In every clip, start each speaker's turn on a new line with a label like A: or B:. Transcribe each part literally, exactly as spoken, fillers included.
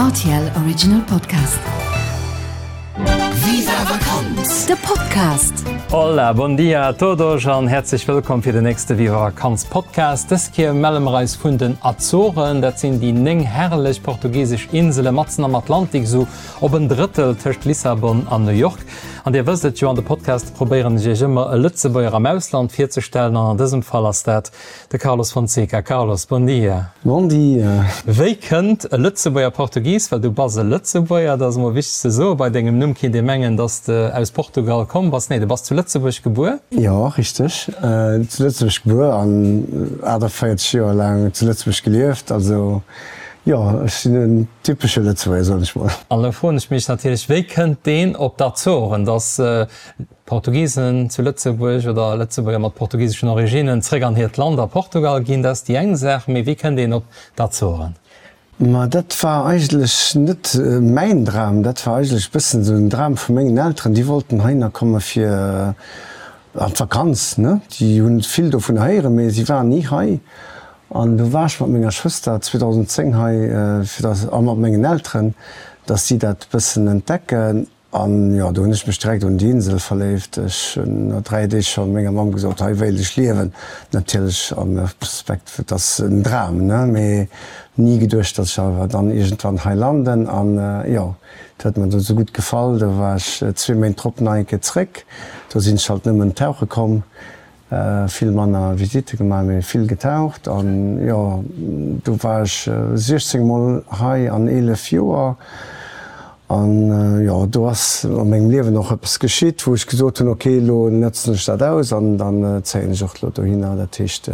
A: R T L Original Podcast.
B: Viva Vakanz!
A: De Podcast.
C: Hola, bon dia a todos an häerzlech wëllkomm fir den nächste Viva Vakanz Podcast. Dës Kéier melle mer eis vun den Azoren, dat sinn déi néng herrlech portugisesch Insele matzen am Atlantik, sou op en Drëttel tëscht Lissabon an New York. An Dir wësst et jo, an de Podcast probéieren ech Iech ëmmer e Lëtzebuerger am Ausland virzestellen an an dësem Fall ass dat de Carlos Fonseca. Carlos, bon dia.
D: Bon dia.
C: Wéi kënnt e Lëtzebuerger Portugis, well du bass e Lëtzebuerger, dat ass emol wichteg ze soen, bei dengem Numm kéint ee mengen, dass de aus Portugal komm bass. Nee, du bass zu Lëtzebuerg gebuer?
D: Jo, richteg. Zu Lëtzebuerg gebuer an achteenvéierzeg Joer laang zu Lëtzebuerg gelieft. Also jo, ech sinn en typesche Lëtzebuerger, soen ech mol.
C: An elo froen ech mech natierlech, wéi kënnt deen op d'Azoren, dass Portugisen zu Lëtzebuerg oder Lëtzebuerger mat portugiseschen Originnen zréck an hiert Land a Portugal ginn, dat ass déi eng Saach, mee wéi kënnt een op d'Azoren?
D: Ma dat war eigentlech net mäin Dram, dat war eigentlech e bëssen esou en Dram vu mengen Elteren. Déi wollten heihinner komme fir an d'Vakanz, ne. Déi hunn vill dovun héieren, mee si waren ni hei. An du war ech mat menger Schwëster zweedausendenzéng hei, fir dass, a mat mengen Elteren, dass si dat bëssen entdecken. An jo, do hunn ech mech direkt un déi Insel verléift. Ech hunn no dräi Deeg scho menger Mamm gesot, hei wéilt ech liewen. Natierlech am Respekt, et ass en Dram, ne, mee ni geduecht, dass ech awer dann iergendwann hei landen. An jo, et huet mer do esou gutt gefall, do war ech zwee Méint drop nach eng Kéier zréck. Do sinn ech halt nëmmen tauche komm. Vill manner Visitte gemaach, mee vill getaucht an jo, do war ech siechzéng mol hei an eelef Joer an jo, do ass a mengem Liewen och eppes geschitt, wou ech gesot hunn, ok, elo nëtzen ech dat aus an dann zéien ech och elo dohinner. Dat heescht,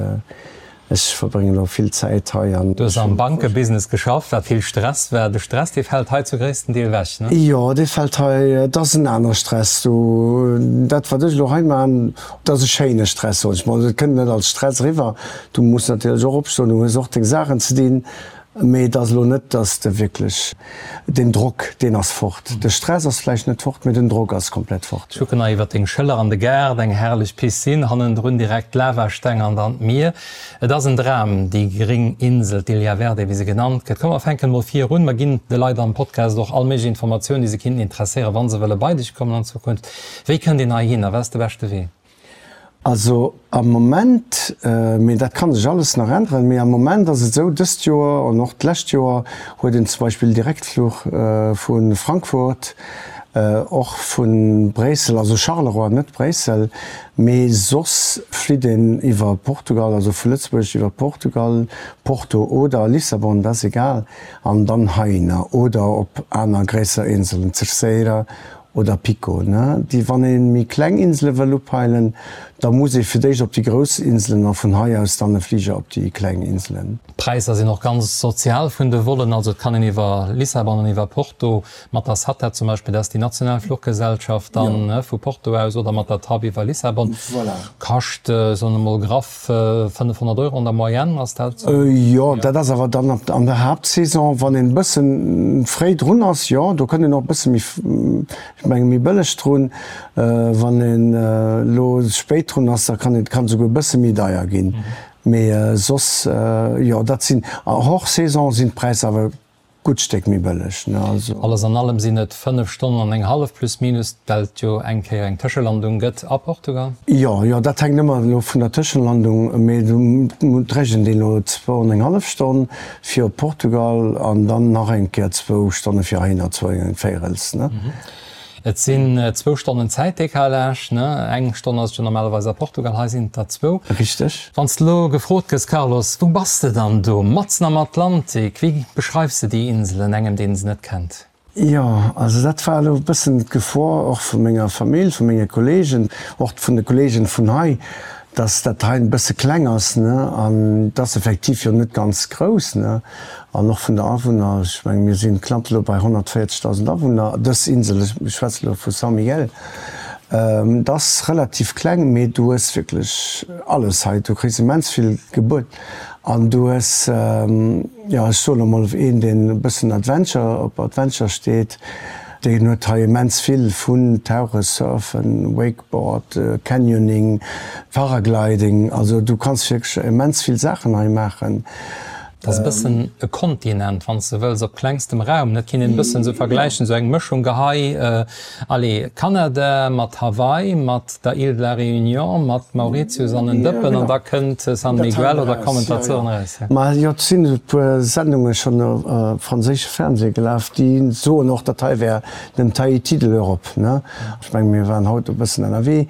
D: ech verbréngen elo vill Zäit hei an.
C: Du hues am Bankebusiness geschafft, wat vill Stress war. De Stress, dee fält hei zu gréissten Deel ewech, ne?
D: Jo, dee fält hei. Et ass en anere Stress do. Dat, wat ech elo hei maachen, dat ass e schéine Stress, soen ech mol. Et kënnt net als Stress eriwwer. Du muss natierlech och opstoen, du hues och deng Saachen ze dinn. Mee et ass elo net, dass de wierklech, deen Drock, deen ass fort. De Stress ass vläicht net fort, mee den Drock ass komplett fort.
C: Ech kucken nach iwwer deng Schëller an de Gaart, eng herrlech Piscine, hannendrun direkt d'Lavasteng an dann d'Mier. Et ass en Dram, déi gréng Insel, d'Ilha Verde, wéi se genannt gëtt. Komm, mer fänken emol vir un. Mer ginn de Leit am Podcast och all méiglech Informatiounen, déi se kinnten interesséieren, wa se wëlle bei dech kommen an Zukunft. Wéi kënnt een heihin a wat ass de beschte Wee?
D: Also am Moment, mee dat ka sech alles nach änneren, mee am Moment ass et esou, dëst Joer an och d'lescht Joer huet een zum Beispill Direktfluch vu Frankfurt, och vu Bréissel, also Charleroi, net Bréissel, mee soss flitt een iwwer Portugal, also vu Lëtzebuerg iwwer Portugal, Porto oder Lissabon, dat ass egal, an dann heihinner oder op aner gréisser Inselen, Terceira Oder Pico, ne? Déi, wann ee méi kleng Insele wëll upeilen, da muss ee fir d'éischt op déi grouss Inselen a vun hei aus dann e Fliger op déi kleng Inselen.
C: D'Präisser sinn och ganz sozial vun de Vollen, also et kann een iwwer Lissabon an iwwer Porto mat der SATA zum Beispill, dat ass déi national Fluchgesellschaft, dann vu Porto aus oder mat der TAP iwwer Lissabon, kascht, soen wir mol graff, fënnefhonnert Euro an der Moyenne, ass dat esou?
D: Jo, dat ass awer dann an der Haaptsaison, wann een e bëssen fréi drun ass, jo, do kënnt een och e bësse méi, ech menge méi bëlleg drun. Wann een elo spéit drun ass, da kann et kann esouguer e bësse méi deier ginn. Mee soss, jo, dat sinn, hors Saison sinn d'Präisser awer gutt Stéck méi bëlleg, ne, also.
C: Alles an allem sinn et fënnef Stonnen an eng hallef, plus minus, well et jo eng Kéier eng Tëschelandung gëtt a Portugal.
D: Jo, jo, dat hänkt ëmmer elo vun der Tëschelandung, mee do rechent een elo zwou an eng hallef Stonn fir op Portugal an dann nach eng Kéier zwou Stonne fir heihinner, zwou an eng Véirels, ne.
C: Et sinn zwou Stonnen Zäitdecalage, ne? Eng Stonn ass et jo normalerweis a Portugal, hei sinn et der zwou.
D: Richteg.
C: Wann s de elo gefrot gëss, Carlos, wou bass de dann do? Matzen am Atlantik. Wéi beschreifs de déi Inselen engem, deen se net kennt?
D: Jo, also dat war elo e bëssen d'Gefor och vu menger Famill, vu menge Kollegen, och vun de Kollegen vun hei, dass dat hei e bësse kleng ass, ne, an et ass effektiv jo net ganz grouss, ne, an och vun der Awunner, ech menge mir si knapp elo bei honnertvéierzegdausend Awunner, dës Insel, ech schwätze elo vu São Miguel, et ass relativ kleng, mee du hues wierklech alles hei, du kriss immens vill gebuet an du hues, jo, ech soen emol, een deen e bëssen Adventure, op Adventure steet, Deen huet hei immens vill vun Tauchen, Surfen, Wakeboard, Canyoning, Paragliding, also du kanns wierklech immens vill Saachen hei maachen.
C: Dat ass e bëssen e Kontinent, wann s de wëlls, op klengstem Raum. Dat kinnt een e bëssen esou vergläichen, esou eng Mëschung gehei, allez, Kanada mat Hawaii, mat der Île de la Réunion, mat Mauritius an en Dëppen, an da kënnt San Miguel oder kommen d'Azoren eraus.
D: Ma jo, et sinn e puer Sendunge schonn op franséische Fernseh gelaf, déi soen och, dat hei wär den Tahiti de l'Europe, ne? Ech mengen, mir waren haut e bëssen ënnerwee,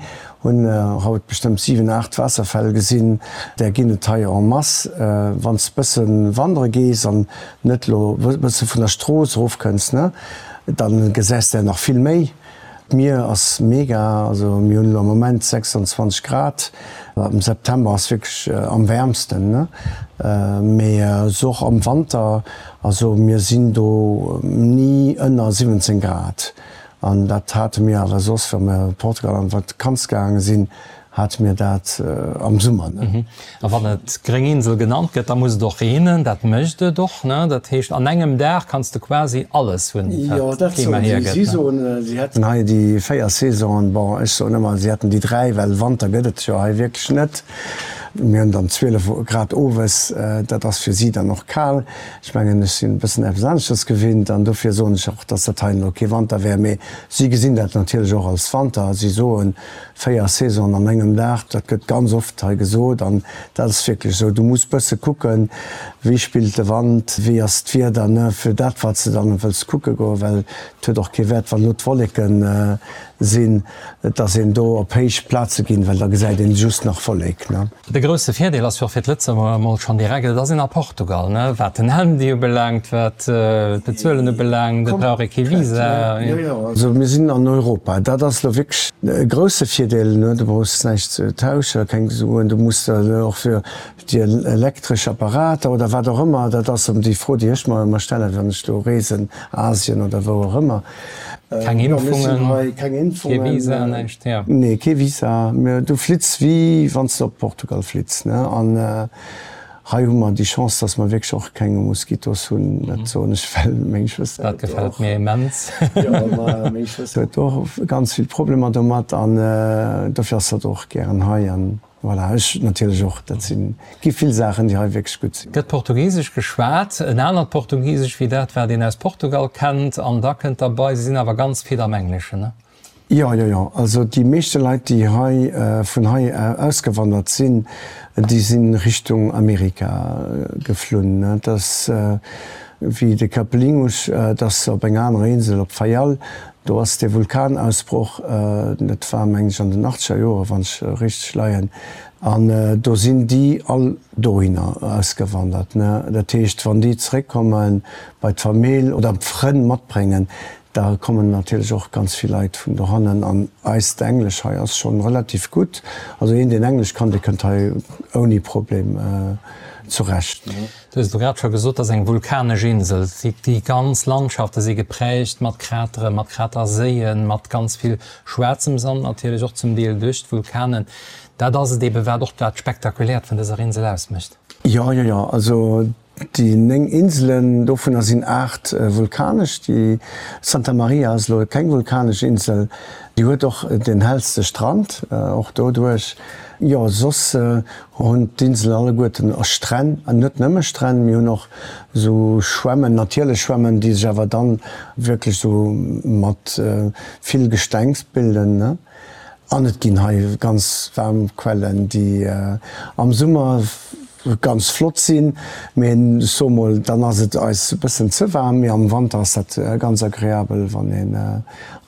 D: Hunn haut bestëmmt siwen, aacht Waasserfäll gesinn. Där ginn et hei en masse. Wann s bësse wandere gees an net lo bësse vun der Strooss erofkënns, ne, dann gesäis der nach vill méi. D'Mier ass mega, also mir hunn elo am Moment sechsundzwanzeg Grad, am September ass wierklech am wäermsten, ne, mee sou och am Wanter, also mir sinn do ni ënner siwwenzéng Grad. An dat hate mir awer soss, wa mir Portugal an d'Vakanz gaange sinn, hate mir dat am Summer.
C: A wann et gréng Insel genannt gëtt, da muss et och reenen. Dat mécht et och, ne? Dat heescht, an engem Dag kanns de quasi alles hunn,
D: wat d'Klima hiergëtt. Jo, dat soen si. Si soen, si hätten hei déi véier Saisonen. Bon, ech soen ëmmer, si hätten déi dräi, well Wanter gëtt et jo hei wierklech net. Mir hunn dann zwielef Grad owes, dat ass fir si dann och kal. Ech mengen, ech sinn e bëssen eppes aneschters gewinnt an dofir soen ech och, dass dat hei elo kee Wanter wär. Mee si gesinn dat natierlech och als Wanter. Si soen, véier Saisonen an engem Dag, dat gëtt ganz oft hei gesot an dat ass wierklech esou. Du muss bësse kucken, wéi spillt de Wand, wéi ass d'Wieder, ne, fir dat, wat s de dann wëlls kucke goen, well et huet och kee Wäert, wann elo d'Wolleken sinn, dass een do op héich Plaze ginn, well da gesäit een just nach Wollek, ne.
C: De grousse Virdeel ass jo och fir d'Lëtzebuerger emol schonn direkt, et ass een a Portugal, ne, wat den Handy ubelaangt, wat d'Bezuelen ubelaangt, et brauch ee kee Visa.
D: Jo, jo, also mir sinn an Europa, dat ass elo wierklech e grousse Virdeel, ne, du brauchs näischt ze tauschen, keng Suen, du muss der och fir déi elektresch Apparater oder wat och ëmmer, dat ass déi Fro, déi ech mer ëmmer stellen, wann ech do reesen, Asien oder wou och ëmmer.
C: Keng Impfungen, kee Visa, näischt, jo.
D: Nee, kee Visa. Du flitts wéi wann s de op Portugal flitts, ne? An hei hu mer déi Chance, dass mer wierklech och keng Moskitos hunn. Dat soen ech, well meng Schwëster
C: Dat gefält mir immens.
D: Jo, ma meng Schwëster huet och ganz vill Problemer domat an dofir ass hatt och gären hei. An voilà, ech natierlech och. Dat sinn, gi vill Saachen, déi hei wierklech gutt sinn.
C: Gëtt Portugisesch geschwat, en anert Portugisesch wéi dat, wat een aus Portugal kennt. An da kënnt derbei, se sinn awer ganz fit am Engleschen, ne?
D: Jo, jo, jo. Also déi meeschte Leit, déi hei vun hei ausgewandert sinn, déi si Richtung Amerika geflunn. Dat ass wéi de Capelinhos, dat ass op enger anerer Insel, op Faial. Do ass dee Vulkanausbroch, dat war meng ech an den achtzeger Joren, wann ech richteg leien, an do sinn déi all dohinner ausgewandert. Dat heescht, wann déi zeréckkomme bei d'Famill oder Frënn matbréngen, da kommen natierlech och ganz vill Leit vun dohannen. An eist Englesch hei ass schonn relativ gutt. Also een, deen Englesch kann, dee kënnt hei ouni Problem zurecht.
C: Du hues et elo grad scho gesot, dat ass eng vulkanesch Insel. Déi ganz Landschafte si geprägt mat Krateren, mat Kraterséien, mat ganz vill schwaarzem Sand natierlech och zum Deel duerch d'Vulkanen. Dat ass et eebe wat och dat Spektakuläert vun dëser Insel ausmécht.
D: Jo, jo, jo. Also déi néng Inselen, dovunner sinn aacht vulkanesch. Déi Santa Maria ass elo keng vulkanesch Insel. Déi huet och den hellste Strand, och doduerch. Jo, soss hunn d'Inselen alleguerten Stränn, an net nëmme Stränn, mir hunn och esou Schwämmen, natierlech Schwämmen, déi sech awer dann wierklech esou mat vill Gestengs bilden, ne. An et ginn hei ganz waarm Quellen, déi am Summer ganz flott sinn, mee ech soe mol, dann ass et eis e bëssen ze waarm, mee am Wanter ass dat ganz agreabel, wann een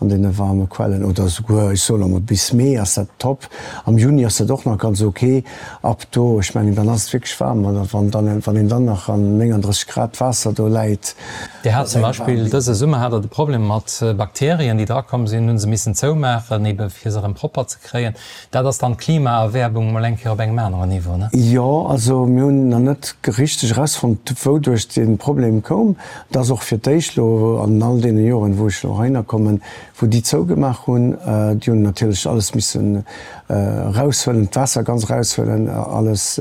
D: an deene waarme Quellen oder esouguer, ech soe lo mol, bis Mee ass dat top, am Juni ass dat och nach ganz ok, ab do, ech mengen, dann ass et wierklech waarm, an wann dann, wann een dann nach an nénganddrësseg Grad Waasser do läit.
C: Dir hat zum Beispill dëse Summer hat Der de Problem mat Bakterien, déi drakomm sinn, hunn se missen zoumaachen, ebe fir se erëm propper ze kréien. Dat ass dann d'Klimaerwäermung mol eng Kéier op engem aneren Niveau, ne?
D: Jo, also mir hunn nach net richteg erausfonnt, wouduerch dee Problem koum. Et ass och fir d'éischt elo an all deene Joren, wou ech elo heihinner kommen, wou déi zougemaach hunn. Déi hunn natierlech alles missen eraushuelen, d'Waasser ganz eraushuelen, alles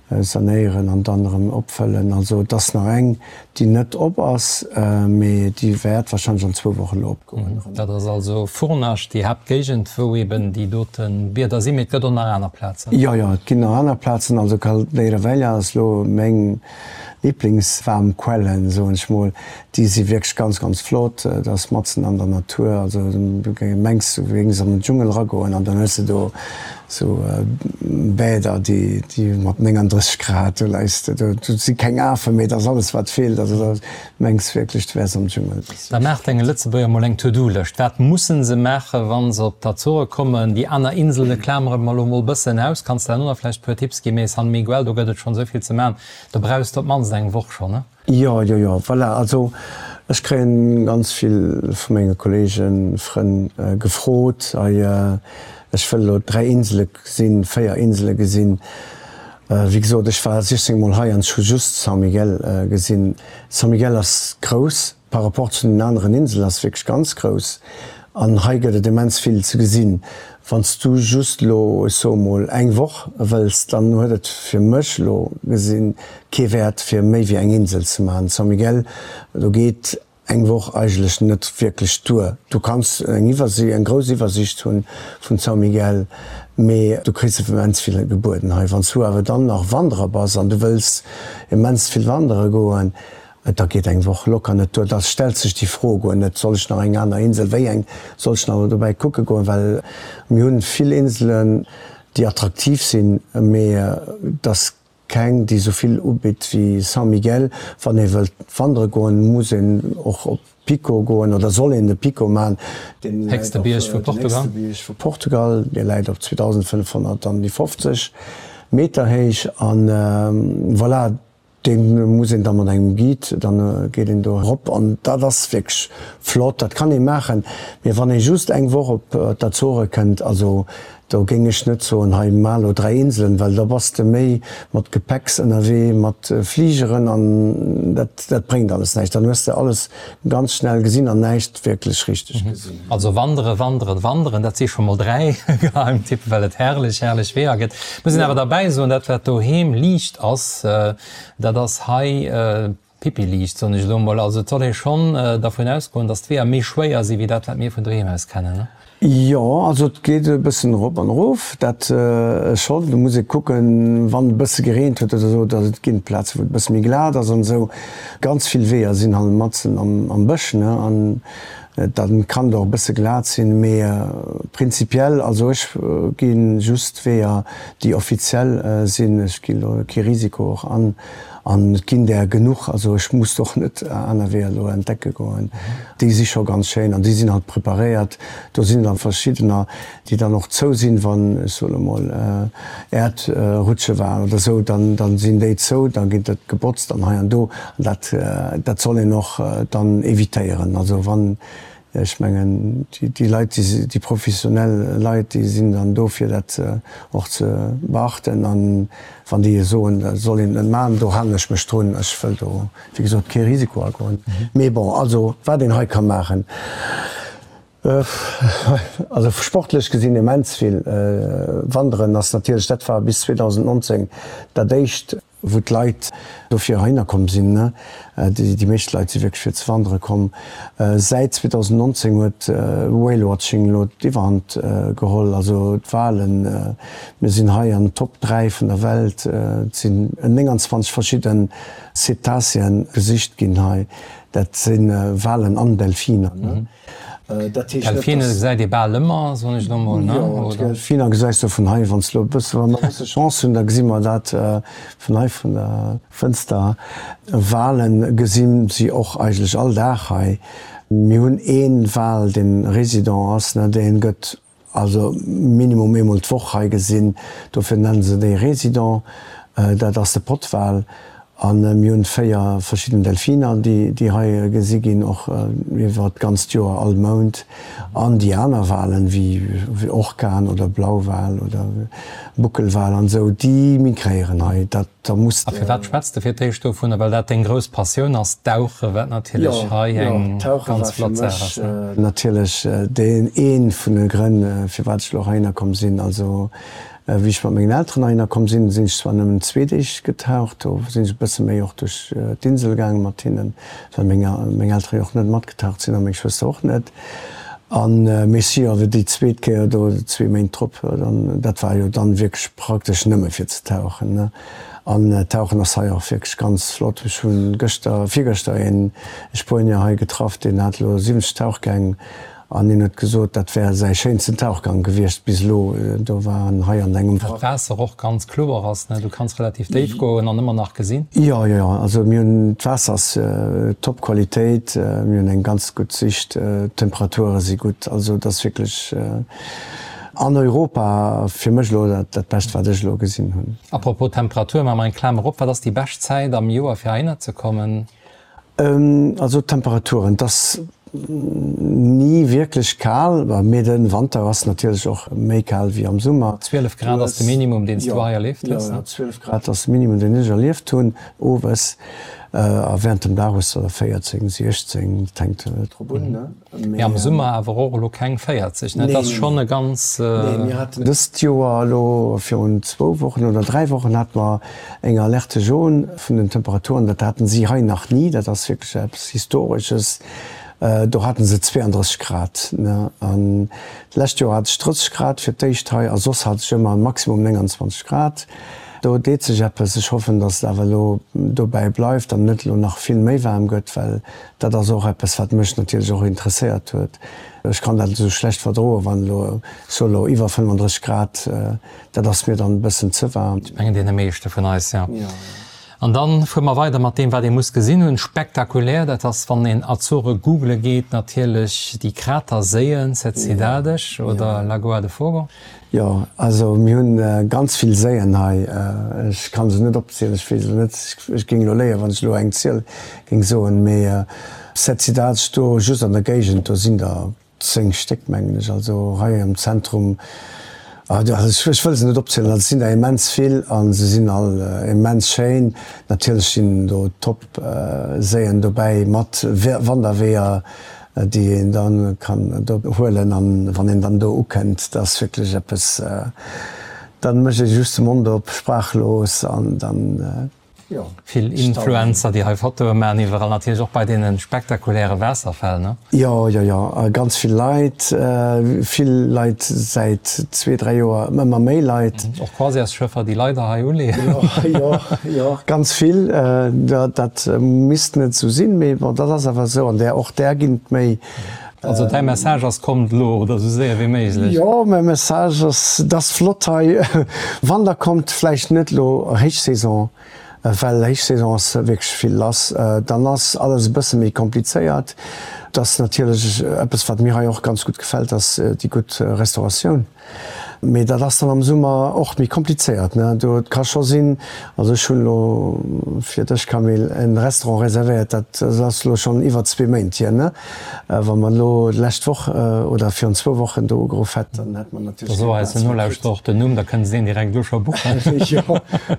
D: sanéieren an dann erëm opfëllen. Also et ass nach eng, déi net op ass, mee déi wäert warscheinlech an zwou Wochen elo opgoen.
C: Dat ass also Furnas, déi Haaptgéigend, wou eben déi dote Bieder sinn, mee et gëtt och nach aner Plazen?
D: Jo, jo, et ginn nach aner Plazen. Also Caldeira Velha ass elo meng Liblingswaarmquellen, soen ech mol. Déi si wierklech ganz, ganz flott. Dat ass matzen an der Natur. Also du mengs, du géings an den Dschungel eragoen an dann hues de do sou Bäder, déi, déi mat nénganddrësseg Grad, do leis de do. Do si keng Afen, mee et ass alles, wat feelt. Also da mengs wierklech, du wäers am Dschungel.
C: Da maacht enge Lëtzebuerger mol eng To-Do-Lëscht. Wat mussen se maachen, wa se op d'Azore kommen? Déi aner Insele klamere mer elo mol bëssen aus. Kanns de herno nach vläicht e puer Tipps ginn? Mee San Miguel, do gëtt et schonn esou vill ze maachen. Do brauchs de op d'mannst eng Woch schonn, ne?
D: Jo, jo, jo, voilà. Also ech kréien ganz vill vu menge Kollegen, Frënn gefrot, hei ech wëll elo dräi Insele gesinn, véier Insele gesinn. Wéi gesot, ech war sichzéng mol hei an ech hu just São Miguel gesinn. São Miguel ass grouss par rapport zu den aneren Inselen, ass wierklech ganz grouss. An hei gëtt et immens vill ze gesinn. Wann s du just elo, ech soe mol, eng Woch wëlls, dann huet et fir mech elo gesinn kee Wäert fir méi wéi eng Insel ze maachen. São Miguel, do geet eng Woch eigentlech net wierklech duer. Du kanns eng Iwwersi eng grouss Iwwersicht hunn vun São Miguel, mee du kriss immens vill gebueden hei. Wann s du awer dann nach Wanderer bass an du wëlls immens vill wandere goen, Da geet eng Woch locker net duer. Da stellt sech déi Fro guer net, Soll ech nach eng aner Insel, wéi eng soll ech nach dobäi kucke goen? Well mir hunn vill Inselen, déi attraktiv sinn, mee et ass keng, déi esou vill ubitt wéi São Miguel. Wann ee wëllt wandere goen, muss een och op Pico goen oder soll een de Pico maachen, deen läit
C: Héchste
D: op,
C: Bierg vu
D: den
C: Portugal.
D: héchste Bierg vu Portugal, dee läit op zweedausendfënnefhonnertfofzeg Meter héich. An voilà. Dee muss een da mat engem Guide, dann geet een do erop an dat ass wierklech flott, dat kann ee maachen. Mee wann ee just eng Woch op d'Azore kënnt, also do géing ech net soen, hei maach elo dräi Inselen, well da bass de méi mat Gepäcks ënnerwee, mat Fligeren an dat dat bréngt alles näischt. Dann hues de alles ganz schnell gesinn an näischt wierklech richteg gesinn.
C: Also wandere, wanderen, wanderen, dat si scho mol dräi Geheimtippen, well et herrlech, herrlech Weeër gëtt. Muss een awer derbäi soen, dat wat doheem liicht ass, dat ass hei pipi-liicht, soen ech elo mol. Also et soll ee schonn dervun ausgoen, datt d'Weeër méi schwéier si wéi dat, wat mir vun doheem aus kennen, ne?
D: Jo, also et geet e bëssen erop an erof, dat schonn. Do muss ee kucken, wann e bësse gereent huet oder esou, datt et ginn Plaze wou et e bësse méi glat ass an esou. Ganz vill Weeër sinn halt matzen am Bësch, ne, an Dann kann et och e bësse glat sinn, mee prinzipiell, also ech gi just Weeër, déi offiziell sinn. Ech ginn do kee Risiko och an an et ginn där genuch. Also ech muss och net aner Weeër elo entdecke goen. Déi si scho ganz schéin an déi sinn halt preparéiert. Do sinn dann verschiddener, déi dann och zou sinn, wann, ech soen emol, Äerdrutsche waren oder esou, dann dann sinn déi zou, da ginn dat gebotzt an hei an do. An dat dat soll een och dann evitéieren. Also wann, ech mengen, déi Leit, déi déi professionell Leit, déi sinn dann do fir dat och ze beachten. An wann déi soen, dat soll een net maachen, do halen ech mech drun. Ech wëll do, wéi gesot, kee Risiko agoen. Mee bon, also wat een hei ka maachen, also sportlech gesinn immens vill. Wanderen ass natierlech, dat war bis zweedausendnonzéng dat éischt, wou d'Leit dofir heihinner komm sinn. Déi meescht Leit si wierklech fir ze wandere komm. Säit zweedausendnonzéng huet Whale Watching elo d'Iwwerhand geholl, also d'Walen. Mir sinn hei an den Top dräi vun der Welt. Et sinn nénganzwanzeg verschidde Cetacéen gesicht ginn hei. Dat si Walen an Delfiner.
C: Dat heescht net, Delfine dass. Gesäit ee bal ëmmer, soen ech elo mol, ne?
D: Jo, d'Delfiner gesäis de vun hei. Wann s de elo e bësse, wa mer e bësse Chance hunn, da gesi mer dat vun hei vun der Fënster. Wale gesi si och eigentlech all Dag hei. Mir hunn ee Wal, dee Résident ass, ne, dee gëtt also minimum eemol d'Woch hei gesinn. Dofir nennen se dee Résident. Dat ass de Pottwal. A mir hunn véier verschidden Delfiner, déi hei gesi ginn, och iwwer d'ganzt Joer, all Mount. An déi aner Walen, wéi Orkaen oder Blauwal oder Buckelwal an esou, déi migréieren hei. Dat, da muss
C: A
D: de.
C: firwat schwätz de fir d'éischt dovunner? Well dat deng grouss Passioun ass, d'Dauche, wat natierlech
D: Jo,
C: hei
D: jo,
C: eng
D: d'Tauche war
C: ganz
D: fir
C: flott Saach
D: mech
C: ass, ne?
D: natierlech deen ee vun de Grënn, firwat ech elo heihinner komm sinn. Also Wéi ech mat mengen Elteren heihinner komm sinn, sinn ech zwar nëmmen zwee Deeg getaucht, do sinn ech e bësse méi och duerch d'Insel gaange mat hinnen, well meng meng Eltere jo och net matgetaucht sinn a meng Schwëster och net. An mee si jo awer déi zweet Kéier do, zwee Méint drop, dann, dat war jo dann wierklech praktesch nëmme fir ze tauchen, ne. An Tauchen ass hei och wierklech ganz flott. Ech hu gëschter, virgëschter een Spuenier hei getraff, deen hat elo siwwenzeg Tauchgäng An hien huet gesot, dat wär säi schéinsten Tauchgang gewiescht bis elo. Do war en hei an engem.
C: Well d'Waasser och ganz kloer ass, ne? Du kanns relativ déif goen an ëmmer nach gesinn.
D: Jo, jo, jo. Also mir hunn, d'Waasser ass top Qualitéit, mir hunn eng ganz gutt Sicht, d'Temperature si gutt. Also et ass wierklech an Europa fir mech elo dat Bescht, wat ech elo gesinn hunn.
C: Apropos Temperatur, maache mer eng Klamer op, Wat ass déi bescht Zäit am Joer fir heihinner ze kommen?
D: Also d'Temperaturen, et ass ni wierklech kal, mee de Wanter ass natierlech och méi kal wéi am Summer.
C: Zwielef Grad ass de Minimum, deen s du hei erlieft hues,
D: ne? Jo, zwielef Grad ass de Minimum, deen ech erlieft hunn, owes. A wärend dem Dag hues de der véierzéng, siechzéng, dat hänkt drop un, ne?
C: Mee am Summer awer och elo keng véierzeg, ne? Et ass schonn e ganz.
D: Nee, mir haten dëst Joer elo virun zwou Wochen oder dräi Wochen hate mer eng Alerte jaune vun den Temperaturen. Dat haten si hei nach ni. Dat ass wierklech eppes Historesches. Do haten se zweeandrësseg Grad, ne? An d'lescht Joer hat ech drësseg Grad fir d'éischt hei a soss hat ech ëmmer maximum nénganzwanzeg Grad. Do deet sech eppes. Ech hoffen, datt et awer elo dobäi bleift an net elo nach vill méi waarm gëtt, well dat ass och eppes, wat mech natierlech och interesséiert huet. Ech kann dat esou schlecht verdroen, wann elo, ech soe elo iwwer fënnfandrësseg Grad, dat ass mir dann e bëssen ze waarm.
C: Ech mengen deene meeschte vun eis, jo. An dann fuere mer weider mat deem, wat ee muss gesinn hunn. Spektakulär, dat ass, wann een Azore googele geet, natierlech déi Kraterséien, Sete Cidades oder Lagoa de Fogo.
D: Jo, also mir hunn ganz vill Séien hei. Ech kann se net opzielen, ech weess elo net, ech géing elo léien, wann ech elo eng Ziel géing soen, mee Sete Cidades do just an der Géigend, do sinn der zéng Stéck mengen ech, also hei am Zentrum, ech wëll se net opzielen, also et sinn der immens vill a se sinn all immens schéin. Natierlech sinn do top Séien dobäi mat Wanderweeër, déi een dann kann do huelen an wann een dann do ukënnt, dat ass wierklech eppes, dann mécht ee just de Mond op, sprachlos an dann, jo.
C: Vill Influencer, déi hei Fotoe maachen iwwerall, natierlech och bei deene spektakuläre Waasserfäll, ne?
D: Jo, jo, jo, ganz vill Leit, vill Leit säit zwee, dräi Joer, ëmmer méi Leit.
C: Och Croisièresschëffer, déi leider hei uleeën.
D: Jo, jo, jo, ganz vill. Dat misst net esou sinn, mee bon, dat ass awer esou an där, och där ginn et méi.
C: Also däi Message ass, kommt elo oder esou séier wéi méiglech.
D: Jo, mäi Message ass, et ass flott hei, wann der kommt, vläicht net elo Héichsaison, well Héichsaison ass wierklech vill lass, dann ass alles e bësse méi komplizéiert. Et ass natierlech eppes, wat mir hei och ganz gutt gefält, ass déi gutt Restauratioun. Mee dat ass dann am Summer och méi komplizéiert, ne? Do, et ka scho sinn, also ech hunn elo fir dech, Camille, en Restaurant reservéiert, dat ass elo schonn iwwer zwee Méint hier, ne? Wa mer elo d'lescht Woch oder virun zwou Wochen do ugeruff hätten, dann hätt mer natierlech
C: Da so
D: keng
C: eis
D: Plaz méi kritt.
C: Nolauschterer och den Numm, da kënne se deen direkt elo scho buchen,
D: Jo,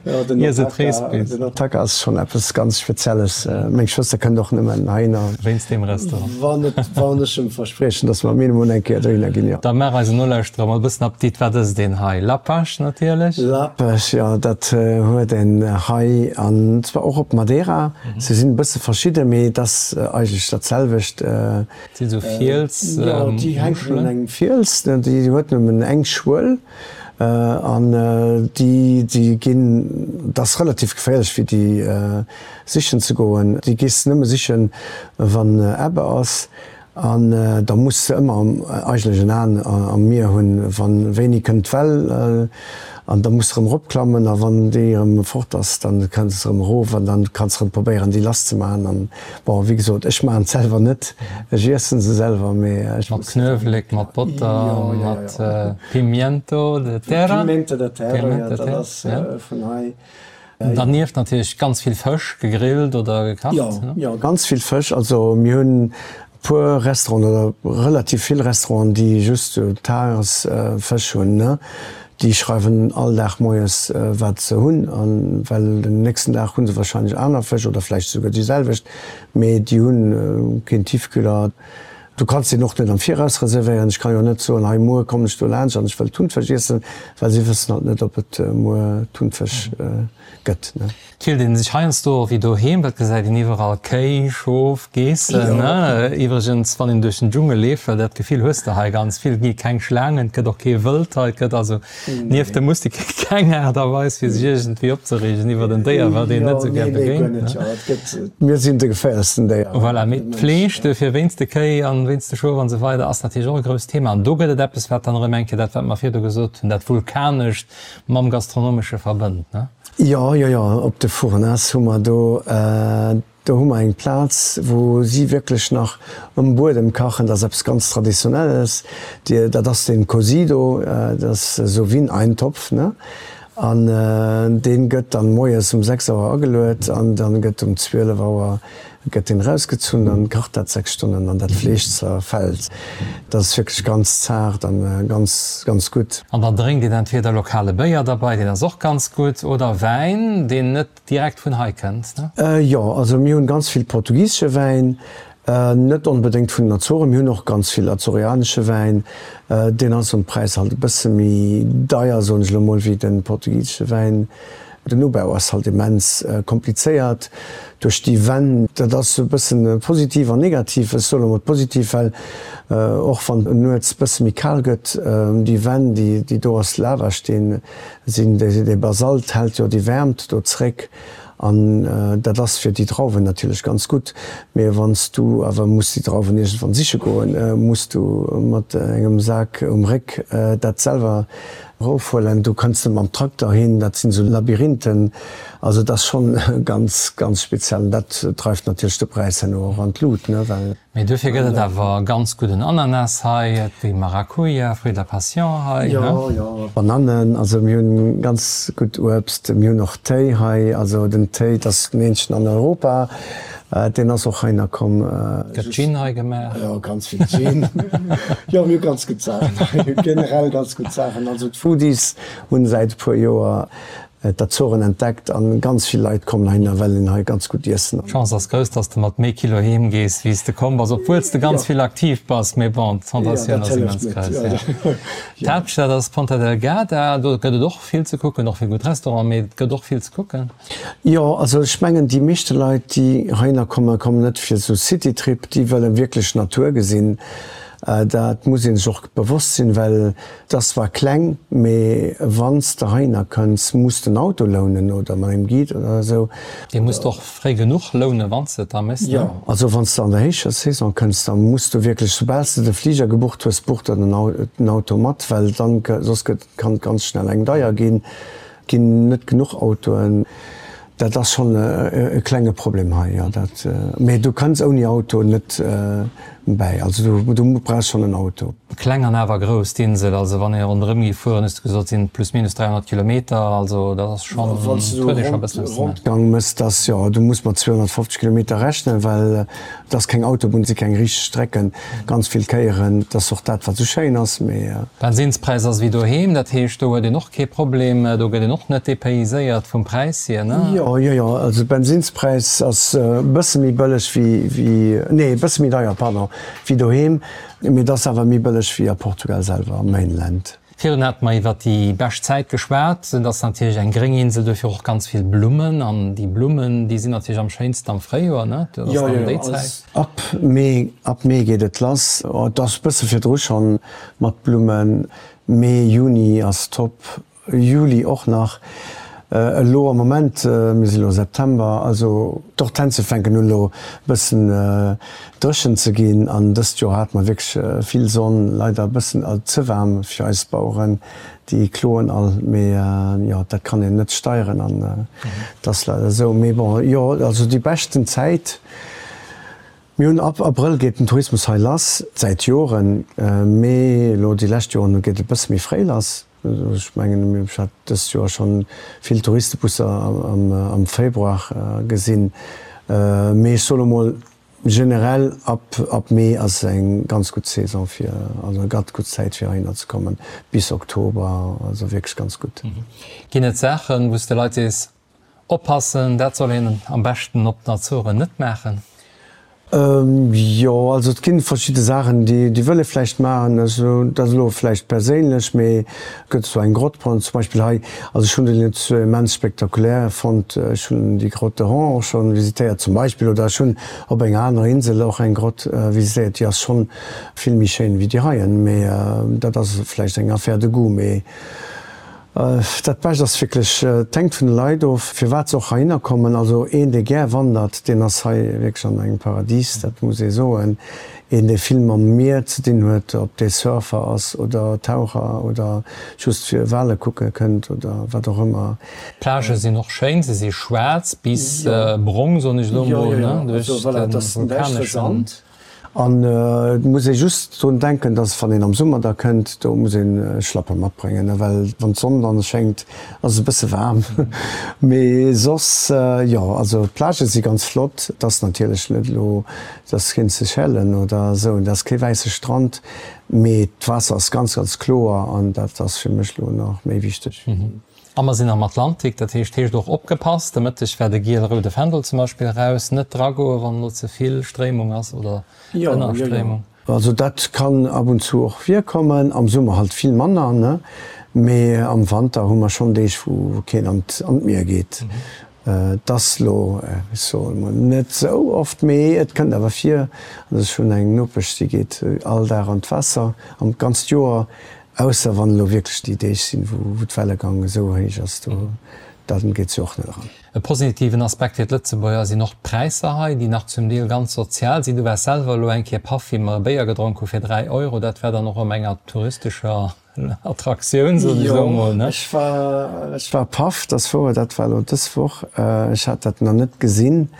D: jo, den
C: ier se d'Rees
D: Otaka,
C: bis.
D: den Otaka ass schonn eppes ganz Spezielles. Meng Schwëster kënnt och nëmmen heihinner.
C: Wéinst deem Restaurant.
D: Wann et, wann ech em verspriechen, dass mer minimum eng Kéier dohinner ginn, jo.
C: Da maach eisen Nolauschterer mol e bëssen Appetit, wat ësst een hei? Lapasch natierlech.
D: Lapasch, jo, dat huet een hei an zwar och op Madeira. Se sinn e bësse verschidden, mee et ass eigentlech dat selwecht.
C: Dat sinn esou Fiels,
D: Jo, déi hänken un
C: Muschelen.
D: engem Fiels, déi huet nëmmen eng Schuel an déi, déi ginn, dat ass relativ geféierlech fir déi sichen ze goen. Déi gees de nëmme sichen, wann Ebbe ass. An da muss se ëmmer eigentlech en Aen am Mier hunn, wann wéini kënnt d'Well, an da muss de erëm eropklammen, a wann déi erëm fort ass, dann kënns de erëm erof an dann kanns de erëm probéieren déi lass ze maachen. An bon, wéi gesot, ech maachen et selwer net, ech iessen se selwer, mee ech
C: Mat
D: muss.
C: Knuewelek, mat Botter,
D: Jo, jo,
C: mat
D: jo.
C: Pimiento de terra.
D: Pimiento de terra, jo,
C: Pimiento de
D: dat
C: terra,
D: ass
C: ja.
D: vun hei.
C: Dernieft natierlech ganz vill Fësch, gegrillt oder gekacht.
D: Jo, jo, ganz vill Fësch. Also mir hunn e puer Restauranten oder relativ vill Restauranten, déi just sou Tagesfësch hunn, ne. Déi schreiwen all Dag moies, wat se hunn, an well den nächsten Dag hu se wahrscheinlech aner Fësch oder vläicht souguer déi selwecht, mee déi hu keen Tiefkühler. Du kanns deen och net am Viraus reservéieren. Ech ka jo net soen, hei muer kommen ech do laanscht an ech wëll Thunfësch iessen, well si wëssen halt net, ob et muer Thunfësch gëtt.
C: Et fillt een sech heiansdo och wéi doheem, well et gesäit een iwwerall Kéi, Schof, Geessen. Iwwregens, wann een duerch den Dschungel leeft, well dat Gefill hues de hei ganz vill, et gi keng Schlaangen, et gëtt och kee Wëld hei, et gëtt also nieft dem Mustik keng Aart a Weis, fir sech iergendwéi opzereegen iwwert en Déier, wat een net esou gär begéint.
D: Mir sinn de geféierlechsten Déier.
C: Voilà, mee d'Fleesch duerfir wéinst de Kéi an wéinst de Schof an esou weider ass natierlech och e grousst Thema. An do gëtt et eppes, wat dann erëm eng Kéier dat, wat mer virdu gesot hunn, dat Vulkanescht mam Gastronomesche verbënnt, ne?
D: Jo, jo, jo, op de Furnas hu mer do, do hu mer eng Plaz, wou si wierklech nach um Buedem kachen. Dat ass eppes ganz Traditionelles. Dat ass den Cozido, dat ass esou wéi en Eintopf, ne? An dee gëtt dann moies um sechs Auer ageluet an dann gëtt um zwielef Auer gëtt deen erausgezunn, dann kacht dat sechs Stonnen an dat Fleesch zerfält. Dat ass wierklech ganz zaart an ganz, ganz gutt.
C: An dann drénkt een entweder lokale Béier derbei, deen ass och ganz gutt, oder Wäin, deen net direkt vun hei kënnt,
D: ne? Jo, also mir hunn ganz vill portugisesche Wäin, net onbedéngt vun den Azoren, mir hunn och ganz vill azorianesche Wäin, deen ass um Präis halt e bësse méi deier, soen ech elo mol, wéi de portugisesche Wäin. Den Ubau ass halt immens komplizéiert duerch déi Wänn. Dat ass e bëssen positiv an negativ. Ech soe lo mol positiv, well och wann et nuets bësse méi kal gëtt, déi Wänn, déi do aus Lavasteen sinn, dee Basalt hält jo déi Wäermt do zréck an dat ass fir déi Drauwen natierlech ganz gutt. Mee wann s du awer muss déi Drauwen iergendwann siche goen, muss du mat engem Sak um Réck dat selwer Erofhuelen, do kënns de mam Trakter hin, dat sinn esou Labyrinthen, also et ass schonn ganz, ganz speziell an dat dreift natierlech de Präis herno och an d'Lut, ne, well.
C: Mee duerfir gëtt et awer ganz gudden Ananas hei, et gi Maracuja, Fruit de la passion hei,
D: ne? Jo, jo, Banannen, also mir hunn ganz gutt Uebst, mir hunn och Téi hei, also den Téi, dat ass den eenzegen an Europa, Deen ass och heihinner komm.
C: Gëtt Gin hei gemaach?
D: Jo, ganz vill Gin. Jo, mir hu ganz gutt Saachen hei, generell ganz gutt Saachen. Also d'Foodies hunn säit e puer Joer d'Azoren entdeckt an ganz vill Leit kommen heihinner, well een hei ganz gutt iessen.
C: D'Chance ass grouss, dass de mat méi Kilo heem gees, wéi s de komm bass, obwuel s de ganz vill aktiv bass. Mee bon, d'Tentatioun ass immens grouss. D'Haaptstad ass Ponta Delgada. Do gëtt et och vill ze kucken, och vill gutt Restauranten, mee et gëtt och vill ze kucken.
D: Jo, also ech mengen déi meeschte Leit déi heihinner kommen, kommen net fir esou Citytrip, déi wëllen wierklech Natur gesinn. Dat muss ee sech och bewosst sinn, well et ass zwar kleng, mee wann s de heihinner kënns, muss de en Auto lounen oder mat engem Guide oder esou.
C: Dee muss de och fréi genuch lounen, wann s de et da méchs,
D: ne? Jo, also wann s de an der héicher Saison kënns, da muss du wierklech, soubal s de de Fliger gebucht hues, buch der den Auto mat, well dann, soss gëtt, kann et ganz schnell eng deier ginn. Ginn net genuch Autoen. Dat ass schonn e klenge Problem hei, jo. Dat, mee du kënns ouni Auto net bäi. Also du, du brauchs schonn en Auto.
C: Kleng an awer grouss, d'Insel. Also wann ee ronderëm géif fueren, hues de gesot, sinn et plus minus dräihonnert Kilometer. Also dat ass schonn,
D: Wann s du huet ee scho e bëssen eppes ze maachen. Rondgang mëss, dass, jo, du muss mat zweehonnertfofzeg Kilometer rechnen, well et ass keng Autobunn, et si keng richteg Strecken, ganz vill Kéieren. Dat ass och dat, wat esou schéin ass, mee.
C: Bensinspräis ass ewéi doheem, dat heescht do huet een och kee Problem, do gëtt een och net dépayséiert vum Präis hier, ne?
D: Jo, jo, jo, also Bensinspräis ass e bësse méi bëlleg wéi, wéi, nee e bësse méi deier, pardon, wéi doheem, mee et ass awer méi bëlleg wéi a Portugal selwer, am Mainland.
C: Virun hate mer iwwert déi bescht Zäit geschwat. Et ass natierlech eng gréng Insel, duerfir och ganz vill Blummen. An déi Blummen, déi sinn natierlech am schéinsten am Fréijoer, ne? Dat ass dann déi Zäit.
D: Ab Mee, ab Mee geet et lass. Et ass bësse virdru schonn mat Blummen. Mee, Juni ass top, Juli och nach. Elo am Moment, mir si lo September, also d'Hortensie fänken un elo bëssen dréchen ze ginn. An dëst Joer hate mer wierklech vill Sonn, leider e bëssen ze waarm fir eis Baueren, déi kloen all. Mee jo, dat kann een net steieren an et ass leider esou. Mee bon, jo, also déi beschten Zäit, mir hunn ab Abrëll geet den Tourismus hei lass, säit Joren, mee elo déi lescht Joren geet et e bësse méi fréi lass. Ech mengen, ech hat dëst Joer schonn vill Touristebusser am Februar gesinn. Mee ech soe lo mol, generell ab Mee ass eng ganz gutt Saison fir, also eng ganz gutt Zäit fir heihinner ze kommen, bis Oktober, also wierklech ganz gutt.
C: Ginn et Saachen, wou s de Leit sees, oppassen, dat soll een am beschten op den Azoren net maachen?
D: Jo, also et ginn verschidde Saachen, déi déi wëll ee vläicht maachen. Also dat ass elo vläicht perséinlech, mee et gëtt esou eng Grott zum Beispill hei. Also ech hunn déi net sou immens spektakulär fonnt. Ech hunn déi Grotte de Hon och schonn visitéiert zum Beispill oder ech hunn op enger anerer Insel och eng Grott visitéiert, déi ass schonn vill méi schéin wéi déi heien. Mee dat ass vläicht eng Affaire de goût. Mee Dat Bescht ass wierklech, et hänkt vun de Leit of, firwat se och heihinner kommen. Also een, dee gär wandert, deen ass hei wierklech an engem Paradies, dat muss ee soen. Een, dee vill mam Mier ze dinn huet, ob dee Surfer ass oder Taucher oder just fir Wale kucke kënnt oder wat och ëmmer.
C: D'Plagë sinn och schéin, se si schwaarz bis brong, soen ech elo mol, ne, duerch de vulkaneschen.
D: An et muss ee just drun denken, dass wann een am Summer da kënnt, do muss ee Schlappe matbréngen, well wann d'Sonn dann schéngt, ass et e bësse waarm. Mee soss, jo, also d'Plagë si ganz flott. Et ass natierlech net elo, et ass keen Seychellen oder esou, et ass kee wäisse Strand, mee d'Waasser ass ganz, ganz kloer an dat ass fir mech elo nach méi wichteg.
C: A mer sinn am Atlantik, dat heescht, heescht och opgepasst, de Mëtteg war de giel-roude Fändel zum Beispill eraus, net dragoen, wann elo ze vill Stréimung ass oder Ënnerstréimung.
D: Also dat kann ab und zu och virkommen, am Summer halt vill manner, ne, mee am Wanter hu mer schonn Deeg, wou keen an d'Mier geet. Et ass lo, ech soe mol, net esou oft, mee et kënnt awer vir. Also ech hunn eng Nopesch, déi geet all Dag an d'Waasser, am d'ganzt Joer. Ausser wann elo wierklech déi Deeg sinn, wou d'Wellegang esou héich ass, do dann geet se och net eran.
C: E positiven Aspekt fir d'Lëtzebuerger sinn och d'Präisser hei, déi nach zum Deel ganz sozial sinn. Du waars selwer elo eng Kéier paff, wéi mer e Béier gedronk hu fir dräi Euro. Dat war dann och erëm eng touristescher Attraktioun, soen ech elo emol, ne?
D: Jo, ech war, ech war paff, dat ass wouer. Dat war elo dës Woch. Ech hat dat nach net gesinn.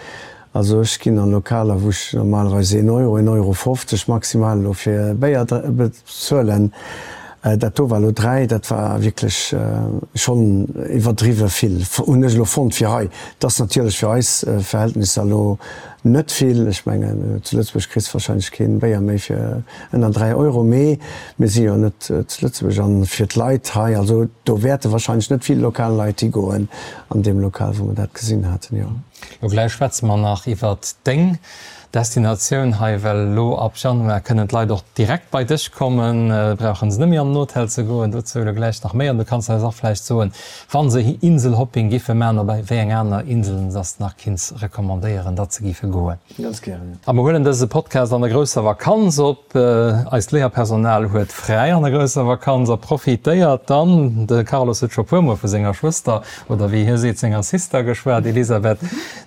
D: Also ech ginn an Lokaler, wou ech normalerweis een Euro, een Euro fofzeg maximal elo fir e Béier bezuelen. Dat do war elo dräi, dat war wierklech schonn iwwerdriwwe vill, hunn ech elo fonnt fir hei. Et ass natierlech fir eis Verhältnisser elo net vill. Ech mengen, zu Lëtzebuerg kriss de warscheinlech kee Béier méi fir ënner dräi Euro. Mee mir si jo net zu Lëtzebuerg an fir d'Leit hei, also do wäerte warscheinlech net vill lokal Leit higoen an deem Lokal, wou mer dat gesinn haten, jo.
C: Lo gläich schwätze mer nach iwwert deng Destinatioun hei, well elo ab Januar kënnen d'Leit och direkt bei dech kommen, brauche se net méi an den Hotel ze goen. Dozou elo gläich nach méi. An du kanns eis och vläicht soen, wa se Inselhopping giffe maachen, op wéi eng aner Inselen s de nach kinns recommandéieren, datt se giffe goen.
D: Ganz gären, jo.
C: A mer huelen dëse Podcast an der grousser Vakanz op. Eist Léierpersonal huet fräi an der grousser Vakanz a profitéiert dann. De Carlos huet scho puermol vu senger Schwëster, oder wéi hie seet, senger Sister geschwat. Elisabeth,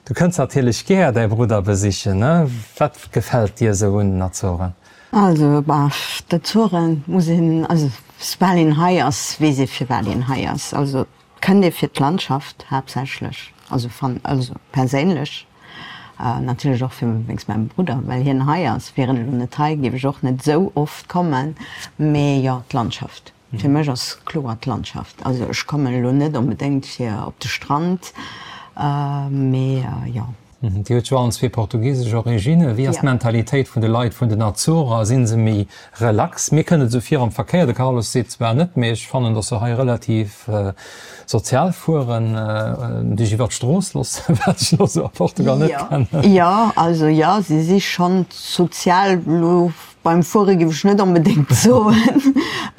C: du kënns natierlech gär däi Brudder besichen, ne? Wat gefält dir esou un den Azoren?
B: Also, bah, d'Azoren muss een, also soubal een hei ass, weess ee firwat een hei ass. Also et kënnt ee fir d'Landschaft haaptsächlech, also fan, also perséinlech natierlech och fir wéinst mengem Brudder, well hien hei ass. Wier en elo net hei, géif ech och net esou oft kommen. Mee jo, d'Landschaft. Fir mech ass kloer d'Landschaft. Also ech kommen elo net onbedéngt fir op de Strand, mee jo.
C: Dir hutt jo allen zwee portugisesch Originne. Wéi ass d'Mentalitéit vun de Leit vun den Azorer? Si se méi relax? Mir kënnt et esou vir am Verkéier, de Carlos seet zwar net, mee ech fannen, datt se hei relativ sozial fueren, dech iwwer d'Strooss loossen, wat ech elo esou a Portugal net kennen.
B: Jo, also jo, si si schonn sozial elo. Beim Fuere géif ech net onbedéngt soen,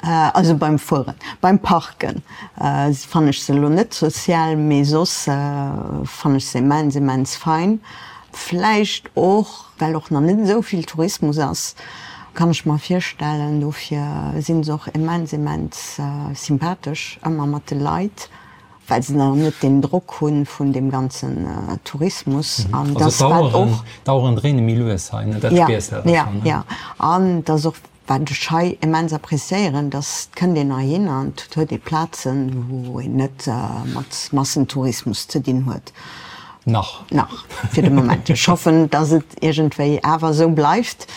B: also beim Fueren, beim Parken fannen ech se elo net sozial, mee soss fannen ech se immens, immens fein. Vläicht och, well och nach net esou vill Tourismus ass, kann ech mer virstellen. Dofir si se och immens, immens sympathesch ëmmer mat de Leit. Well se nach net deen Drock hu vun deem ganzen Tourismus.
C: An dass wat och. D'Aueren dréine méi lues hei, ne? Dat spiers de awer schonn, ne?
B: Jo, jo. An dass och, wat ech hei immens appréciéieren, dass et kënnt een heihinner an et huet ee Plazen, wou een net mat Massentourismus ze dinn huet.
C: Nach.
B: Nach, fir de Moment. Ech hoffen, dass et iergendwéi awer esou bleift.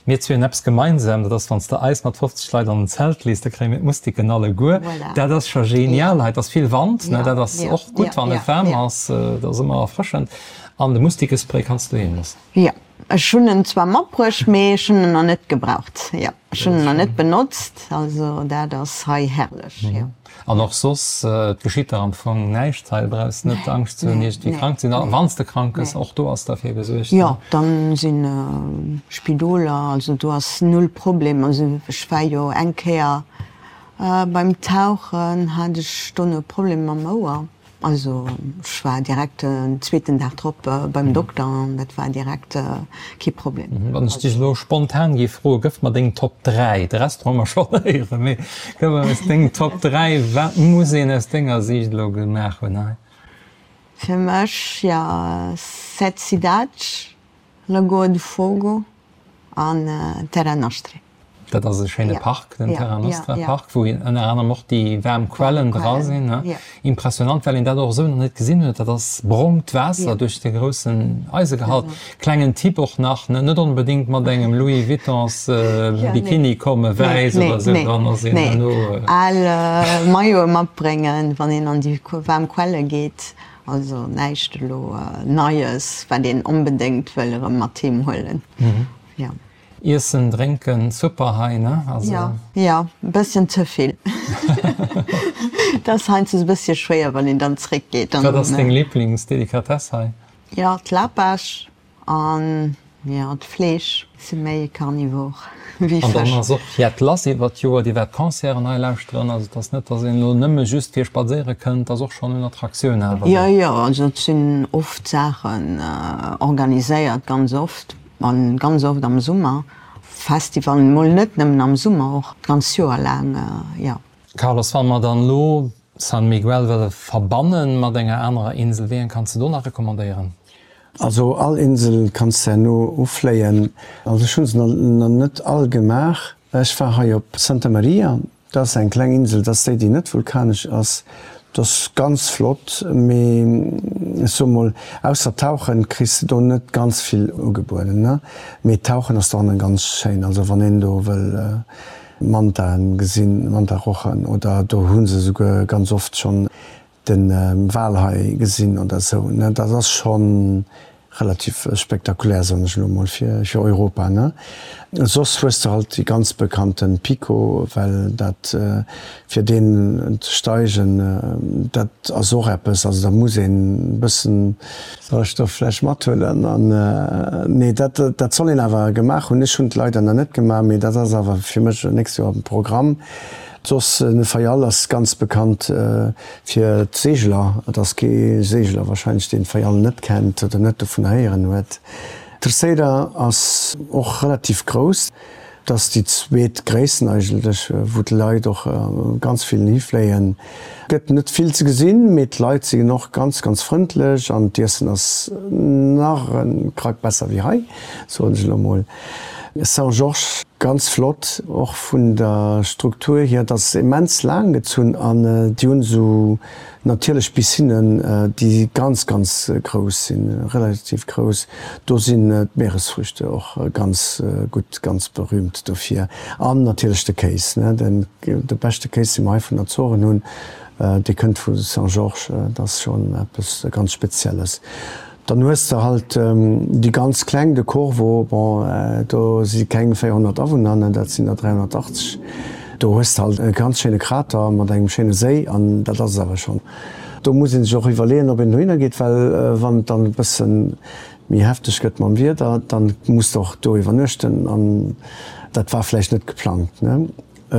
C: Mir zwee hunn eppes gemeinsam, dat ass, wann s de eis mat fofzeg Leit an en Zelt lees, da kréie mir d'Mustiken alleguer.
B: Voilà.
C: Dat ass scho genial hei. Et ass vill Wand, ne?
B: Ja,
C: Dat ass
B: ja,
C: och gutt,
B: ja,
C: wann
B: ja,
C: et waarm
B: ja.
C: ass. Dat ass ëmmer erfrëschend. An de Mustikespray kanns du doheem loossen?
B: Jo, ech hunn en zwar matbruecht, mee ech hunn en nach net gebraucht. Jo, ech hunn en nach net benotzt. Also dat ass hei herrlech, jo.
C: An och soss, et geschitt der am Fong näischt hei, du brauchs net Angscht ze hunn, iergendwéi krank ze sinn. A wann s de krank gëss, och do ass derfir gesuergt.
B: Jo, dann sinn Spidoler, also do ass null Problem. Also ech war jo eng Kéier beim Tauchen, hat ech dono e Problem mam Ouer. Also ech war direkt den zweeten Dag drop beim Dokter an dat war direkt kee Problem.
C: Wann ech dech elo spontan géif froen, gëff mer deng Top dräi, de Rest hu mer schonn héieren, mee gëff mer eis deng Top dräi, wat muss een aus denger Siicht elo gemaach hunn hei?
B: Fir mech, jo, Sete Cidades, Lagoa do Fogo an Terra Nostra.
C: Dat ass e schéine Park, den Terra Nostra Park, wou ënner anerem och déi waarm Quellen dra sinn. Impressionant, well een dat och esou nach net gesinn huet. Dat ass brongt Waasser duerch de groussen Eisegehalt. Klengen Tipp och nach, net onbedéngt mat engem Louis Vuittons Bikini kommen, wäiss oder esou, dann ass een herno.
B: Al Maillote matbréngen, wann een an déi waarm Quelle geet. Also näischt elo Neies, wat een onbedéngt wëll erëm mat heem huelen.
C: Iessen, drénken, super hei, ne?
B: Also. Jo, jo, e bësschen ze vill. Et ass heiansdo e bëssche schwéier, wann een dann zréckgeet.
C: Wat ass deng Liblingsdelikatess hei?
B: Jo, d'Lapasch an, jo, d'Fleesch. Si méi carnivore wéi
C: An dann
B: Fësch.
C: ass och jett lass iwwert d'Joer. Dir wäert Concerten hei lauschteren. Also et ass net, dass een elo nëmme just fir spadséiere kënnt. Et ass och schonn un Attraktioun awer
B: Jo,
C: do.
B: jo, also et sinn oft Saachen organiséiert, ganz oft. An ganz oft am Summer, Festivalen, mol net nëmmen am Summer, och d'ganz Joer laang, jo.
C: Carlos, wa mer dann elo San Miguel wëlle verbannen mat enger anerer Insel, wéi eng kanns de do nach recommandéieren?
D: Also all Insel kanns de herno ufléien. Also ech hu se nach net all gemaach. Ech war hei op Santa Maria, dat ass eng kleng Insel, dat ass déi, déi net vulkanesch ass. Dat ass ganz flott, mee ech soe mol, ausser Tauchen kriss de do net ganz vill ugebueden, ne? Mee Tauchen ass dohannen ganz schéin, also wann een do wëll Mantaen gesinn, Mantarochen, oder do hu se esouguer ganz oft schonn de Walhai gesinn oder esou, ne? Dat ass schonn relativ spektakulär, soen ech elo mol, fir Europa, ne? Soss hues de halt déi ganz bekannten Pico, well dat, fir deen ze steigen, dat ass och eppes, also da muss een e bëssen Sauerstoff vläicht mathuelen an, nee, dat, dat soll een awer gemaach hunn. Ech hunn et leider nach net gemaach, mee dat ass awer fir mech nächst Joer am Programm. Soss, den Fayal ass ganz bekannt fir d'Seegler. Et ass kee Seegler wahrscheinlech, deen Fayal net kennt oder net dovun héieren huet. Terceira ass och relativ grouss. Et ass déi zweet gréissten eigentlech, wou d'Leit och ganz vill hifléien. Gëtt net vill ze gesinn, mee d'Leit sinn och ganz, ganz frëndlech an d'Iessen ass nach e Krack besser wéi hei, soen ech elo mol. São Jorge, ganz flott, och vun der Struktur hier, et ass immens laang gezunn an déi hunn esou natierlech Piscinnen, déi ganz, ganz grouss sinn, relativ grouss. Do sinn d'Meeresfrüchte och ganz gutt, ganz berühmt dofir. An natierlech de Kéis, ne, den, de beschte Kéis, dee mer hei vun den Azoren hunn, dee kënnt vu São Jorge, dat ass schonn eppes ganz Spezielles. Dann hues de halt déi ganz kleng, de Corvo, bon, do si keng véierhonnert Awunner, ne, dat sinn der dräihonnertachtzeg. Do hues de halt e ganz schéine Krater mat engem schéine Séi an dat ass et awer schonn. Do muss ee sech och iwwerleeën, ob een dohinner geet, well wann et dann e bësse méi hefteg gëtt mam Wieder, dann muss de och do iwwernuechten an dat war vläicht net geplangt, ne.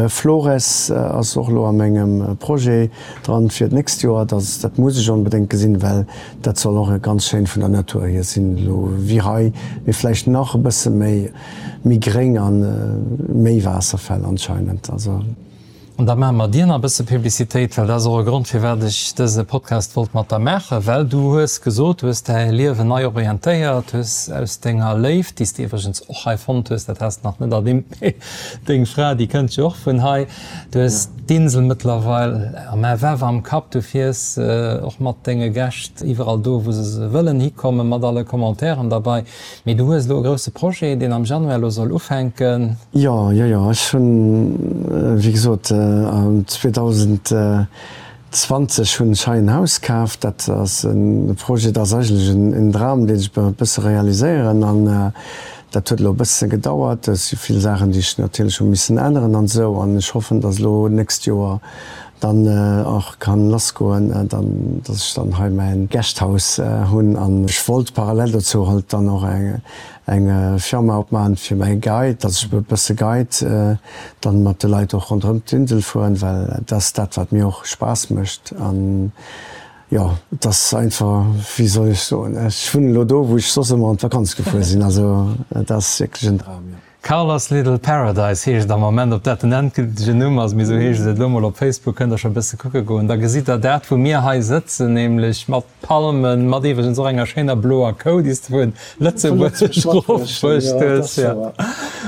D: Flores ass och elo a mengem Projet dran fir d'nächst Joer. Dat dat muss ech onbedéngt gesinn, well dat soll och ganz schéin vun der Natur hier sinn, elo wéi hei, mee vläicht nach e bësse méi méi gréng an méi Waasserfäll anscheinend. Also.
C: An da maache mer dir nach e bësse Publicitéit, well dat ass och e Grond, firwat ech dëse Podcast wollt mat der maachen, well du hues gesot, du hues däi Liewen nei orientéiert, hues aus denger Léift, déi s de iwwregens och hei fonnt hues, dat has de nach net ernimmt, mee deng Fra, déi kënnt jo och vun hei, du hues d'Insel mëttlerweil am F F am Kapp, du fiers och mat denge Gäscht iwwerall do, wou se wëllen hikommen, mat alle Commentairen derbei. Mee du hues elo e grousse Projet, deen am Januar elo soll ufänken.
D: Jo, jo, jo. Ech hunn, wéi gesot, zweetausendzwee zwanzeg hunn ech hei en Haus kaf. Dat ass e Projet, dat ass eigentlech en Dram, deen ech e bësse realiséieren. An dat huet elo e bësse gedauert. Et si vill Saachen, déi ech natierlech hu missen änneren an esou. An ech hoffen, datt elo d'nächst Joer dann och kann lassgoen, dann, datt ech dann hei mäin Guesthouse hunn. An ech wollt parallel dozou halt dann och eng eng Firma opmaachen fir mäi Guide, datt ech e bësse Guide dann mat de Leit och ronderëm d'Insel fueren, well dat ass dat, wat mir och Spaass mécht. An jo, et ass einfach, wéi soll ech soen, ech wunnen elo do, wou ech soss ëmmer an d'Vakanz gefuer sinn. Also et ass wierklech en Dram, jo.
C: Carlos Little Paradise heescht et am Moment. Ob dat den endgültegen Numm ass, mee esou heescht et elo mol op Facebook, kënnt der scho e bësse kucke goen. Da gesitt der dat, wou mir hei sëtzen, nämlech mat Palmen, mat iwwregens och enger schéiner bloer Kou, déi s de vun Lëtzebuerg erofbruecht hues, jo,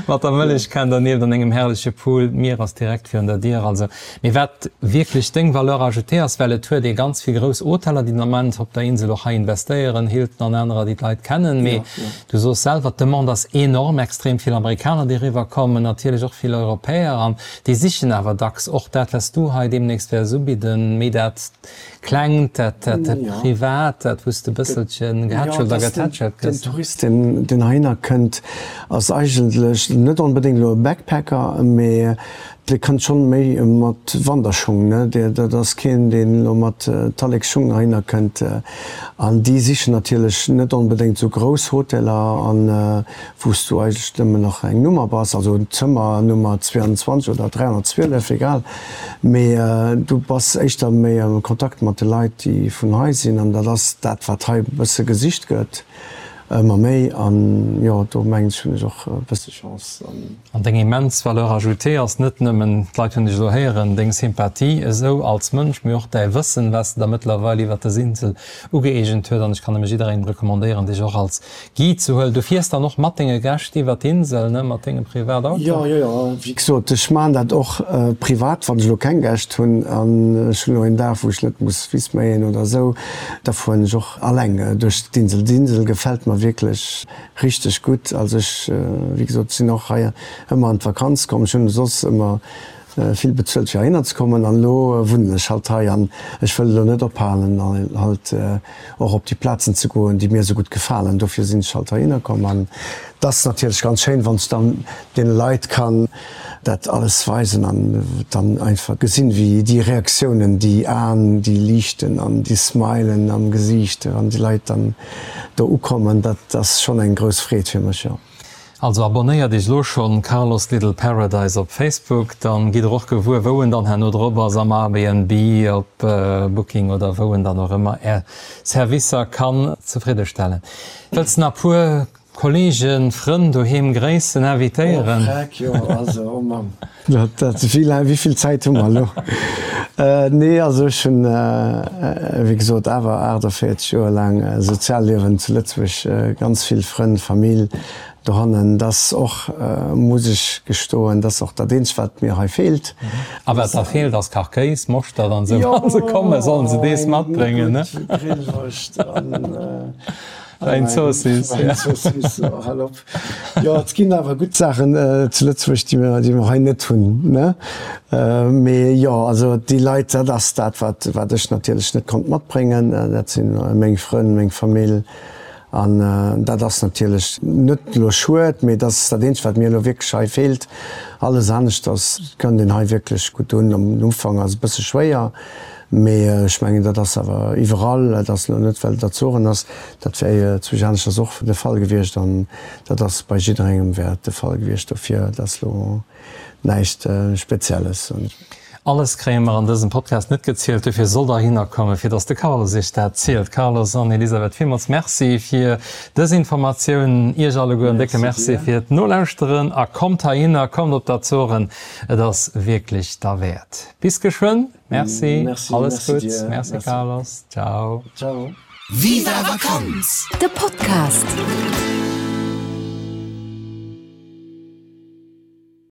C: mat der Mëllechkan dernieft an engem herrleche Pool. D'Mier ass direkt virun der Dier. Also, mee wat wierklech deng Valeur ajoutée ass, well et huet ee ganz vill grouss Hoteller, déi den Ament op der Insel och hei investéieren, Hilton an anerer, déi d'Leit kennen, mee du soos selwer, d'Demande ass enorm, extrem vill Amerikaner, déi eriwwer kommen, natierlech och vill Europäer, an déi sichen awer dacks och dat, wat s du hei deemnächst wäers ubidden, méi dat Klengt, dat Privat, dat, wou s de e bësselche gehätschelt a getätschelt
D: gëss. Den Tourist, deen heihinner kënnt, ass eigentlech net onbedéngt elo e Backpacker, mee dee kënnt schonn méi mat Wanderschung, ne? Dat ass keen, deen elo mat Tallekschung heihinner kënnt. An déi sichen natierlech net onbedéngt esou grouss Hoteller an wou s du eigentlech nëmmen nach eng Nummer bass, also Zëmmer Nummer zweiundzwanzeg oder dräihonnertzwielef, egal, mee du bass éischter méi am Kontakt mat de Leit, déi vun hei sinn, an dat ass dat, wat hei e bësse gesicht gëtt, ëmmer méi. An jo, do mengen ech, hunn ech och e bësse Chance.
C: An deng immens Valeur ajoutée ass net nëmmen, d'Leit hunn dech elo héieren, deng Sympathie esou als Mënsch, mee och däi Wëssen, wat s de der mëttlerweil iwwert dës Insel ugëeegent huet. An ech kann nëmme jidderengem recommandéieren, dech och als Guide ze huelen. Du fiers dann och mat denge Gäscht iwwer d'Insel, ne, mat dengem Privatauto?
D: Jo, jo, jo. Wéi gesot, ech maachen dat och privat, wann ech elo keng Gäscht hunn an ech hunn elo een Dag, wou ech net muss Wiss méien oder esou, da fueren ech och alleng duerch d'Insel. D'Insel gefält mer wierklech richteg gutt. Also ech, wéi gesot, sinn och hei ëmmer an d'Vakanz komm. Ech hunn soss ëmmer vill bezuelt fir heihinner ze kommen an elo wunnen ech halt hei an ech wëll elo net ophalen halt och op déi Plazen ze goen, déi mir esou gutt gefalen. Dofir sinn ech halt heihinner komm an et ass natierlech ganz schéin, wann ech dann deene Leit kann dat alles weisen an dann einfach gesinn, wéi déi Reaktiounen, déi Aen, déi liichten an déi Smilen am Gesiicht, wann déi Leit dann do ukommen, dat ass schonn eng grouss Freed fir mech, jo.
C: Also abonnéiert iech lo schonn Carlos Little Paradise op Facebook, dann gitt der och gewuer wou en dann herno drop ass, am Airbnb, op Booking oder wou en dann och ëmmer är Servicer kann zefridde stellen. Wëlls nach puer Kollegen, Frënn doheem gréissen, invitéieren?
D: Oh Freck, jo, also oh Mamm, dat, dat, wéi laang, wéi vill Zäit hu mer elo? Nee, also ech hunn, wéi gesot, awer aachtavéierzeg Joer laang Sozialliewen zu Lëtzebuerg, ganz vill Frënn, Famill dohannen. Dat ass och, muss ech gestoen, dat ass och dat eenzegt, wat mir hei feelt.
C: A wat da feelt, ass Kachkéis, Moschtert an esou. Wa se kommen, sollen se dees matbréngen, ne?
D: Jo, eng gutt Grillwurscht an
C: Wäinzoossiss, ja.
D: Wäinzoossiss, oh, hal op. Jo, et ginn awer gutt Saachen zu Lëtzebuerg, déi mer, déi mer hei net hunn, ne? Mee jo, also déi Leit, dat ass dat, wat, wat ech natierlech net konnt matbréngen. Dat sinn meng Frënn, meng Famill. An dat ass natierlech net elo schued, mee dat ass dat Eenzegt, wat mir elo wierklech hei feelt. Alles aneschters kënnt een hei wierklech gutt un. Am Ufank ass et e bësse schwéier, Mee ech mengen, dat ass awer iwwerall, dat ass elo net, well et Azoren ass, dat wär zwousch aneschters och de Fall gewiescht an dat ass bei jidderengem wär et de Fall gewiescht. Dofir, dat ass elo näischt Spezielles, soen ech.
C: Alles kréie mer an dësem Podcast net gezielt, dofir sollt der hinner kommen, fir dass de Carlos iech dat zielt. Carlos an Elisabeth, villmools Merci fir dës Informatioun. Iech alleguer en décke Merci fir d'Nolauschteren a kommt heihinner, kommt op d'Azoren, et ass wierklech derwäert. Bis geschwënn! Merci,
D: Merci,
C: alles
D: merci
C: Gutts.
D: dir.
C: Merci,
D: Merci.
C: Carlos. Ciao.
D: Ciao.
A: Viva Vakanz! De Podcast.